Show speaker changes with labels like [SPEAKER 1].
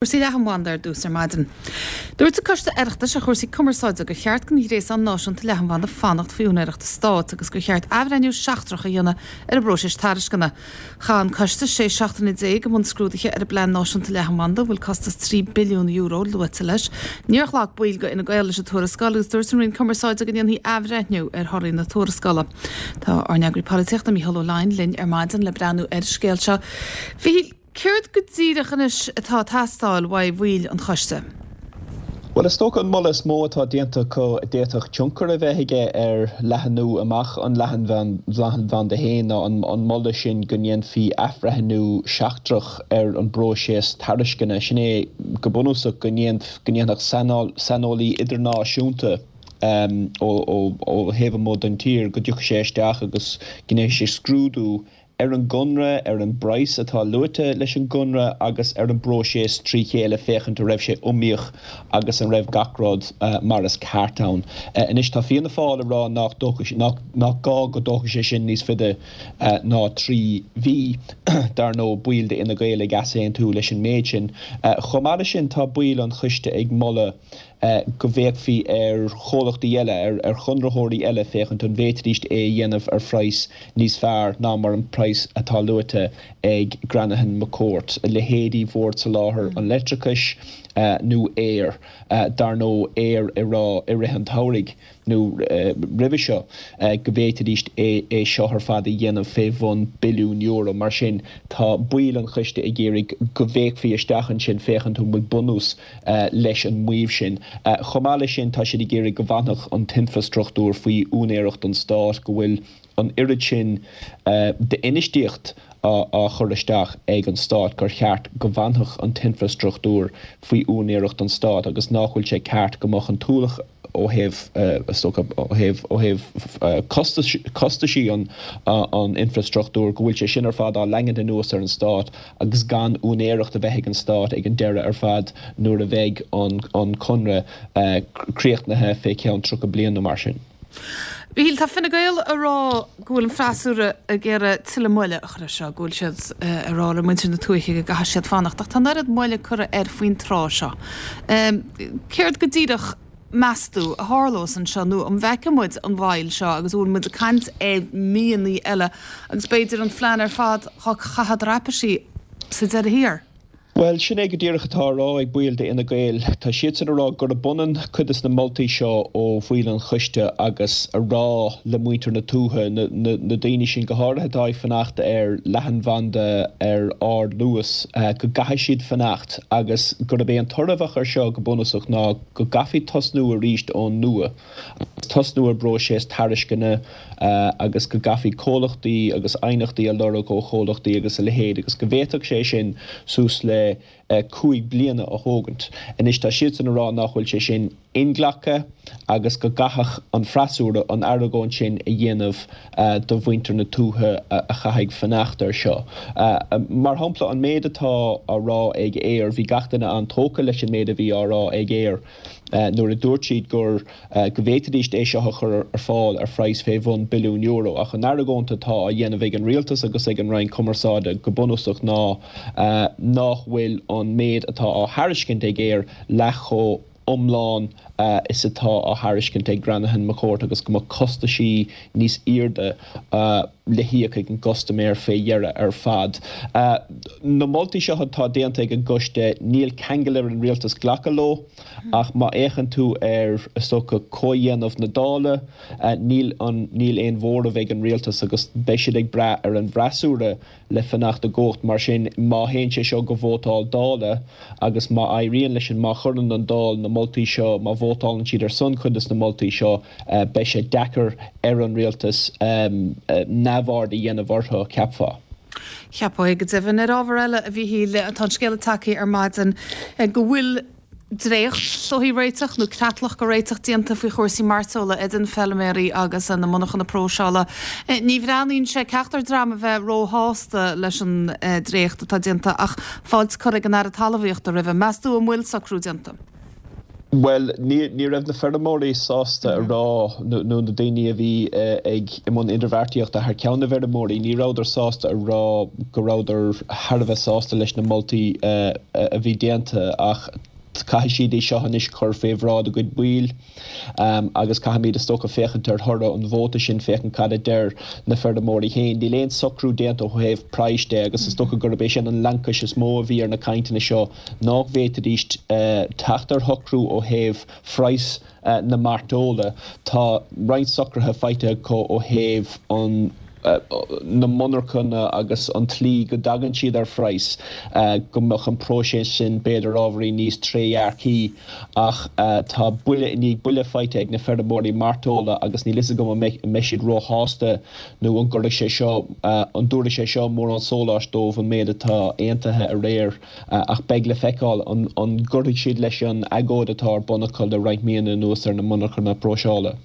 [SPEAKER 1] Cúrsaí leathanbhanda ar dtús ar maidin. Dúirt an Coiste Oireachtais ar chúrsaí cumarsáide gur cheart don ghréasán náisiúnta leathanbhanda fanacht faoi úinéireacht an Stáit agus gur cheart athbhreithniú seachtrach a dhéanamh ar an bpróiseas tairisceana. Chaith an Coiste 16 seachtaine i mbun scrúdaithe ar an bplean náisiúnta leathanbhanda a bhfuil costas €3 billiún luaite leis. Níor ghlac baill de Fhine Gael leis an tuarascáil agus dúirt an Roinn Cumarsáide go ndéanfaí athbhreithniú ar thorthaí na tuarascála. Tá ár n-eagraí polaitíochta Mícheál Ó Leidhin linn ar maidin le breathnú ar an scéal seo. A Mhíchíl, Céard go díreach anois atá ag teastáil uaidh bhaill an choiste?
[SPEAKER 2] Bhuel, is dócha an moladh is mó atá déanta acu a d'fhéadfadh tionchar a bheith aige ar leathnú amach an leathanbhanda féin ná an moladh sin go ndéanfaí athbhreithniú seachtrach ar an bpróiseas tairisceana. Sin é go bunúsach go ndéanfadh saineolaí idirnáisiúnta ó thaobh amuigh den tír, go dtiocfadh sé isteach agus go ndéanfaidh sé scrúdú ar an gconradh, ar an bpraghas atá luaite leis an gconradh agus ar an bpróiseas trí chéile féachaint an raibh sé iomaíoch agus an raibh gach rud mar is ceart ann. Anois tá Fianna Fáil ag rá nach nach gá go dtógfaidh sé sin níos faide ná 3 mhí. Dar ndóigh baill d'Fhine Gael ag easaontú leis an méid sin. Chomh maith leis sin tá baill an choiste ag moladh go bhféachfaí ar chomhlachtaí eile, ar chonraitheoirí eile féachaint an bhféadfaidís é a dhéanamh ar phraghas níos fearr ná mar an praghas atá luaite ag Granahan McCourt, leithéidí Bhord Soláthair an Leictreachais nó Eir. Dar ndóigh, Eir ag rá i rith an tsamhraidh. nó roimhe seo, go bhféadfaidís é seo ar fad a dhéanamh fé bhun billiún euro. Mar sin, tá baill an choiste ag iarraidh go bhféachfaí isteach ansin féachaint an bhfuil bunús leis an maíomh sin. Chomh maith leis sin, tá siad ag iarraidh go bhfanfadh an t-infreastruchtúr faoi úinéireacht an stáit, go bhfuil an oiread sin d'infheistíocht á chur isteach ag an stát gur cheart go bhfanfadh an t-infreastruchtúr faoi úinéireacht an stáit agus nach bhfuil sé ceart go mbeadh an t-ualach ó thaobh, is dócha, ó thaobh, ó thaobh costais, costaisí an, an infreastruchtúir, go bhfuil sé sin ar fad á leangaint anuas ar an stát agus gan úinéireacht a bheith ag an stát ag an deireadh ar fad nuair a bheidh an, an conradh críochnaithe fé cheann 30 bliain nó mar sin.
[SPEAKER 1] Mhíchíl, tá Fine Gael ag rá go bhfuil an freasúra ag iarraidh tuilleadh moille a chur air seo, go bhfuil siad ag rá le muintir na tuaithe go gcaithfidh siad fanacht, ach tá an oiread moille curtha air faoin tráth seo. Céard go díreach, meas tú, a tharlós anseo, nó an bhfeicfidh muid an mhoill seo agus an bhfuil muid ag caint ar mhíonnaí eile agus b'fhéidir an phlean ar fad á chaitheamh traipisí sa deireadh thiar?
[SPEAKER 2] Bhuel, sin é go díreach atá á rá ag baill d'Fhine Gael. Tá siadsan ag rá gurb ionann cuid des na moltaí seo ó bhaill an choiste agus a rá le muintir na tuaithe, na daoine sin go háirithe atá ag fanacht ar leathanbhanda ar ardluas, go gcaithfidh siad fanacht agus gurb é an toradh a bheadh air seo go bunúsach ná go gcaithfí tosnú arís ón nua. agus tosnú ar bpróiseas tairisceana agus go gcaithfí comhlachtaí agus aighneachtaí a lorg ó chomhlachtaí agus a leithéid agus go bhféadfadh sé sin suas le 5 bliana a thógaint. Anois tá siadsan ag rá nach bhfuil sé sin inghlactha agus go gcaithfeadh an freasúra an argóint sin a dhéanamh do mhuintir na tuaithe a chaithfidh fanacht air seo. Mar shampla an méid atá á rá ag Eir, bhí gach duine an-tógtha leis an méid a bhí á rá ag Eir. nuair a dúirt siad gur go bhféadfaidís é seo a chur ar fáil ar phraghas fé bhun billiún euro. Ach an argóint atá á dhéanamh ag an Rialtas agus ag an Roinn Cumarsáide go bunúsach ná nách bhfuil an méid atá á thairiscint ag Eir leath chomh iomlán is atá á thairiscint ag Granahan McCourt agus go mbeadh costaisí níos airde le híoc ag an gcustaiméir fé dheireadh ar fad. Na moltaí seo atá déanta ag an gcoiste, níl ceangal ar an rialtas glacadh leo ach má fhéachann tú ar, is dócha, comhdhéanamh na Dála, níl an, níl aon mhóramh ag an rialtas agus beidh siad ag brath ar an bhfreasúra le fanacht i gcumhacht. Mar sin, má théann sé seo go vótáil Dála agus má éiríonn leis an, má chuireann an Dáil na moltaí seo, má vótálann siad ar son cuid des na moltaí seo, beidh sé deacair ar an rialtas neamhaird a dhéanamh orthu, cheapfá.
[SPEAKER 1] Cheapfá é go deimhin. Ar ábhar eile, a Mhíchíl, tá an scéala tagtha ar maidin go bhfuil dréacht is dóichí réiteach nó creatlach de réiteach déanta faoi chúrsaí mairteola idir na feilméaraí agus na monarchana próiseála. Ní bhreathnaíonn sé ceachtar dream a bheith róshásta leis an dréacht atá déanta ach fáilte curtha ag an Aire Talmhaíochta roimhe. Meas tú an bhfuil socrú déanta?
[SPEAKER 2] Bhuel, ní raibh na feirmeoirí sásta a rá, nó na daoine a bhí ag i mbun idirbheartaíochta thar ceann na bhfeirmeoirí, ní rabhadar sásta a rá go rabhadar thar a bheith sásta leis na moltaí a bhí déanta ach caithfidh siad é seo anois cur fé bhráid a gcuid baill agus caithfimid is dócha féachaint ar thoradh an vóta sin, féachaint cad a deir na feirmeoirí féin. Níl aon socrú déanta ó thaobh praghais de agus is dócha gurb é sin an laincis is mó a bhí ar na cainteanna seo nách bhféadfaidís teacht ar shocrú ó thaobh phraghas na mairteola. Tá roinnt socruithe faighte acu ó thaobh an na monarchana agus an tslí go dtagann siad ar phraghas, go mbeadh an próiseas sin b'fhéidir ábhairín níos trédhearcaí. Ach tá buille i ndiaidh buille faighte ag na feirmeoirí mairteola agus níl fhios agam an mbeidh siad róshásta nó an gcuirfidh sé seo, an dtabharfaidh sé seo mórán sóláis dóibh an méid atá aontaithe aréir. Ach beidh le feiceáil an gcuirfidh siad leis an agóid atá ar bun acu le roinnt míonna anuas ar na monarchana próiseála.